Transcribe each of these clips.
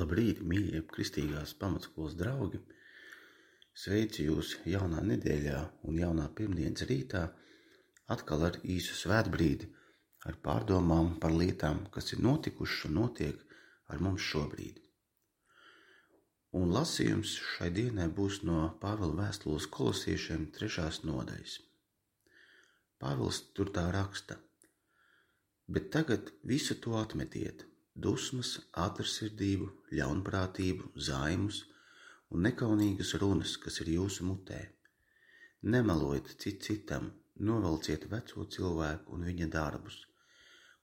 Labrīt, mīļie kristīgās pamatskolas draugi! Sveicu jūs jaunā nedēļā un jaunā pirmdienas rītā, atkal ar īsu svētbrīdi, ar pārdomām par lietām, kas ir notikušas un notiek ar mums šobrīd. Un lasījums šai dienai būs no Pāvila vēstules Kolosiešiem 3. nodaļas. Pāvils tur tā raksta: Bet tagad visu to atmetiet, dusmas, ātrsirdību, ļaunprātību, zaimus un nekaunīgas runas, kas ir jūsu mutē. Nemelojiet citam, novelciet veco cilvēku un viņa darbus,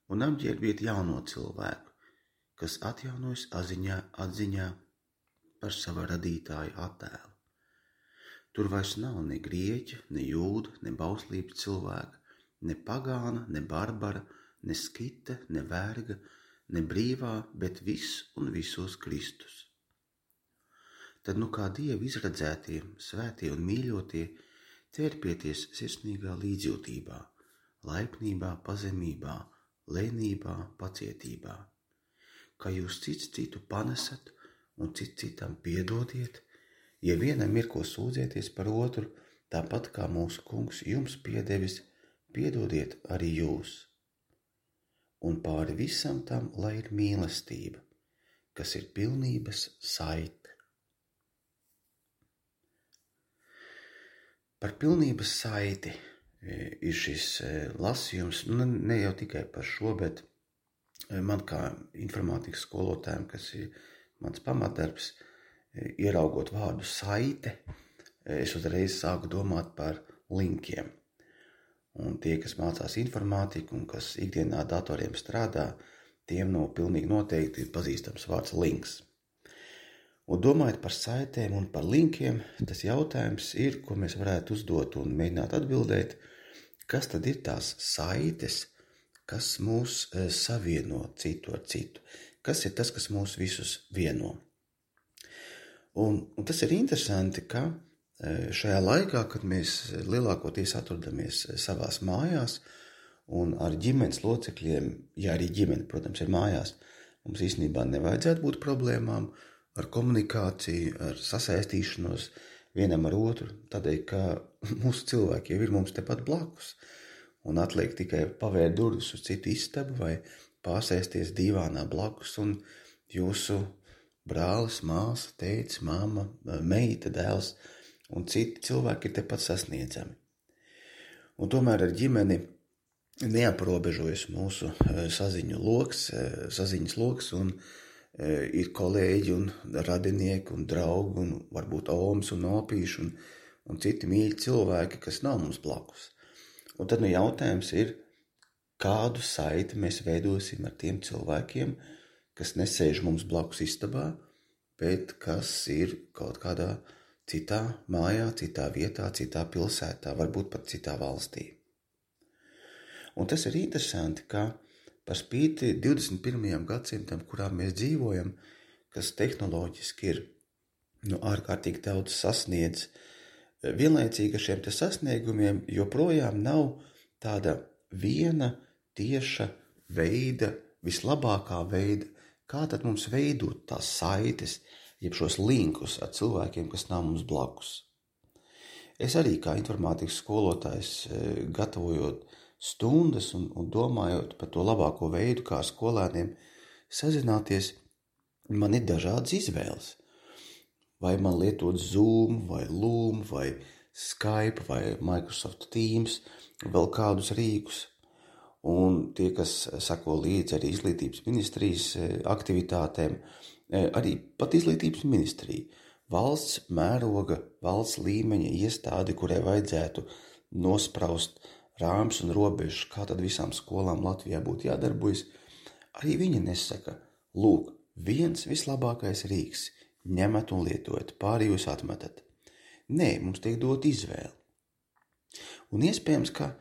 un apģērbiet jauno cilvēku, kas atjaunojas atziņā par sava radītāja attēlu. Tur vairs nav ne grieķa, ne jūda, ne bauslības cilvēka, ne pagāna, ne barbara, ne skita, ne verga, ne brīvā, bet viss un visos Kristus. Tad kā Dieva izredzētie, svētie un mīļotie, ķerpieties sirsnīgā līdzjūtībā, laipnībā, pazemībā, lēnībā, pacietībā, ka jūs cits citu panesat un citam piedodiet, ja vienam ir ko sūdzēties par otru, tāpat kā mūsu Kungs jums piedevis, piedodiet arī jūs. Un pāri visam tam, lai ir mīlestība, kas ir pilnības saite. Par pilnības saiti ir šis lasījums, ne jau tikai par šo, bet man kā informātikas skolotājiem, kas ir mans pamatdarbs, ieraugot vārdu saite, es uzreiz sāku domāt par linkiem. Un tie, kas mācās informātiku un kas ikdienā datoriem strādā, tiem pilnīgi noteikti ir pazīstams vārds links. Un domājot par saitēm un par linkiem, tas jautājums ir, ko mēs varētu uzdot un mēģināt atbildēt, kas tad ir tās saites, kas mūs savieno citu ar citu, kas ir tas, kas mūs visus vieno. Un tas ir interesanti, ka šajā laikā, kad mēs lielākoties atrodamies savās mājās un ar ģimenes locekļiem, ja arī ģimene, protams, ir mājās, mums īstenībā nevajadzētu būt problēmām ar komunikāciju, ar sasaistīšanos vienam ar otru, tādēļ, ka mūsu cilvēki jau ir mums tepat blakus un atliek tikai pavērt durvis uz citu istabu vai pārsēsties dīvānā blakus un jūsu brālis, māsa, tētis, mamma, meita, dēls un citi cilvēki ir tepat sasniedzami. Un tomēr ar ģimeni neaprobežojas mūsu saziņas loks un ir kolēģi un radinieki un draugi un varbūt omas un opīši un citi mīļi cilvēki, kas nav mums blakus. Un tad jautājums ir, kādu saiti mēs veidosim ar tiem cilvēkiem, kas nesēž mums blakus istabā, bet kas ir kaut kādā citā mājā, citā vietā, citā pilsētā, varbūt pat citā valstī. Un tas ir interesanti, ka par spīti 21. gadsimtam, kurā mēs dzīvojam, kas tehnoloģiski ir ārkārtīgi daudz sasniedz, vienlaicīgi ar šiem sasniegumiem joprojām nav tāda viena tieša veida, vislabākā veida, kā tad mums veidot tās saites, jeb šos linkus ar cilvēkiem, kas nav mums blakus. Es arī kā informātikas skolotājs, gatavojot stundas un domājot par to labāko veidu, kā skolēniem sazināties, man ir dažādas izvēles. Vai man lietot Zoom, vai Loom, vai Skype, vai Microsoft Teams, vēl kādus rīkus. Un tie, kas sako līdzi arī izglītības ministrijas aktivitātēm, arī pat izglītības ministrija, valsts mēroga, valsts līmeņa iestādi, kurai vajadzētu nospraust rāmus un robežas, kā tad visām skolām Latvijā būtu jādarbojas, arī viņi nesaka, lūk, viens vislabākais rīks, ņemat un lietojat, pāri jūs atmetat. Nē, mums tiek dot izvēle. Un iespējams, ka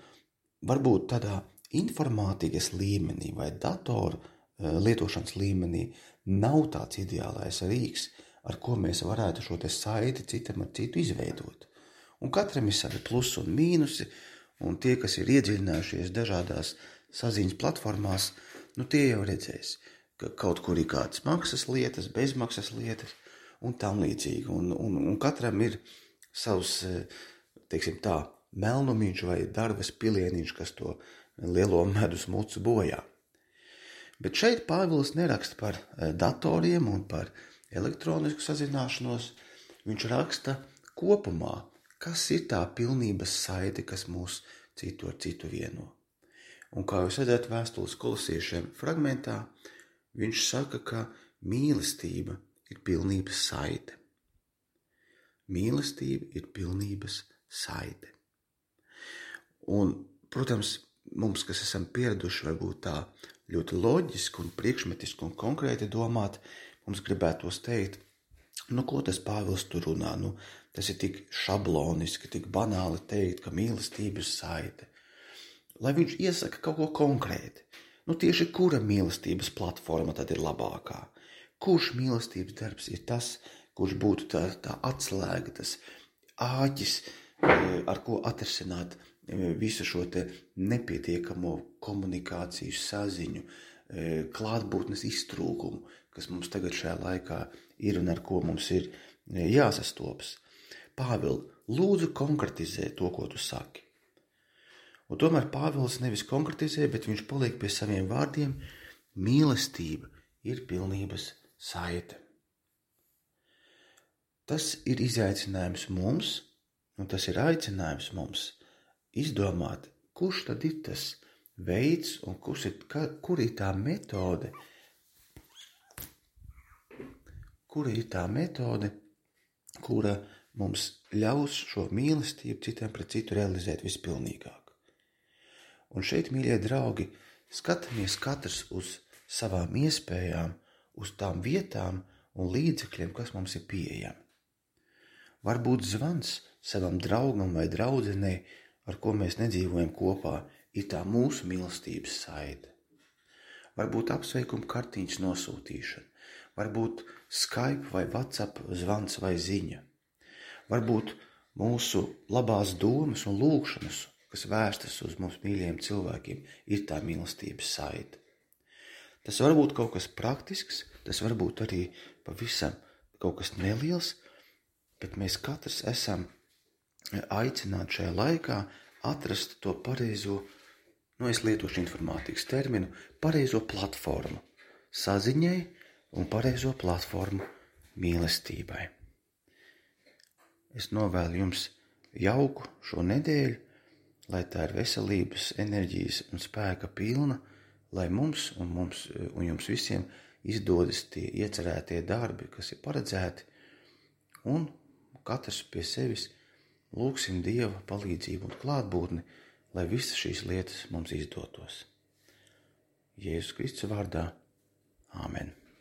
varbūt tādā informātikas līmenī vai datoru lietošanas līmenī nav tāds ideālais rīks, ar ko mēs varētu šo saiti citam ar citu izveidot. Un katram ir savi plusi un mīnusi, un tie, kas ir iedziļinājušies dažādās saziņas platformās, tie jau redzēs, ka kaut kur ir kādas maksas lietas, bezmaksas lietas un tam līdzīgi. Un katram ir savs, teiksim tā, melnumiņš vai darbas pilieniņš, kas to lielo medus mucu bojā. Bet šeit Pāvils neraksta par datoriem un par elektronisku sazināšanos. Viņš raksta kopumā, kas ir tā pilnības saite, kas mūs citu ar citu vieno. Un kā jūs redzat vēstules Kolosiešiem fragmentā, viņš saka, ka mīlestība ir pilnības saite. Mīlestība ir pilnības saite. Un, protams, mums, kas esam pieraduši varbūt tā ļoti loģiski un priekšmetiski un konkrēti domāt, mums gribētos teikt, ko tas Pāvils tur runā? Tas ir tik šabloniski, tik banāli teikt, ka mīlestība ir saite. Lai viņš iesaka kaut ko konkrēti. Tieši kura mīlestības platforma tad ir labākā? Kurš mīlestības darbs ir tas, kurš būtu tā atslēga, tas āķis, ar ko atrisināt visu šo te nepietiekamo komunikāciju saziņu, klātbūtnes iztrūkumu, kas mums tagad šajā laikā ir un ar ko mums ir jāsastopas. Pāvil, lūdzu konkretizē to, ko tu saki. Un tomēr Pāvils nevis konkretizē, bet viņš paliek pie saviem vārdiem. Mīlestība ir pilnības saite. Tas ir izaicinājums mums, un tas ir aicinājums mums izdomāt, kurš tad ir tas veids un kur ir tā metode, kura mums ļaus šo mīlestību citiem pret citu realizēt vispilnīgāk. Un šeit, mīļie draugi, skatāmies katrs uz savām iespējām, uz tām vietām un līdzekļiem, kas mums ir pieejami. Varbūt zvans savam draugam vai draudzenei, ar ko mēs nedzīvojam kopā, ir tā mūsu mīlestības saite. Varbūt apsveikuma kartiņas nosūtīšana, varbūt Skype vai WhatsApp zvans vai ziņa. Varbūt mūsu labās domas un lūgšanas, kas vērstas uz mums mīļiem cilvēkiem, ir tā mīlestības saite. Tas var būt kaut kas praktisks, tas var būt arī pavisam kaut kas neliels, bet mēs katrs esam aicināti šajā laikā atrast to pareizo, es lietošu informātikas terminu, pareizo platformu saziņai un pareizo platformu mīlestībai. Es novēlu jums jauku šo nedēļu, lai tā ir veselības, enerģijas un spēka pilna, lai mums un jums visiem izdodas tie iecerētie darbi, kas ir paredzēti, un katrs pie sevis lūgsim Dieva palīdzību un klātbūtni, lai visas šīs lietas mums izdotos. Jēzus Kristus vārdā. Āmen.